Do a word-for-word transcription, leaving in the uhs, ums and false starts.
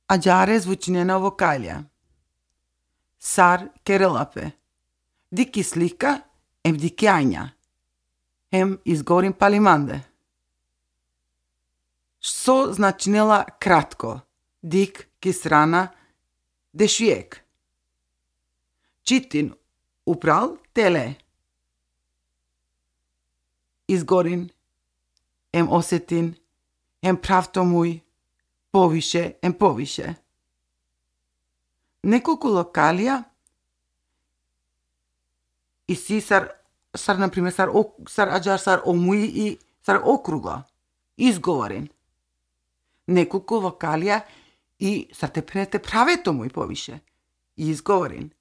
Аџаре звучинена вокалија. Сар керелапе. Дики слика ем дикјања. Ем изгорим палиманде. Со значинела кратко. Дик кисрана дешвиек. Читин упрал теле. Изгорин, ем осетин, ем правто муј, повише, ем повише. Неколку локалија и си сар, сар, например, сар, сар аџар, сар омуи и сар округа. Изговорен. Неколку локалија и сар те пренете правето муј повише. Изговорен.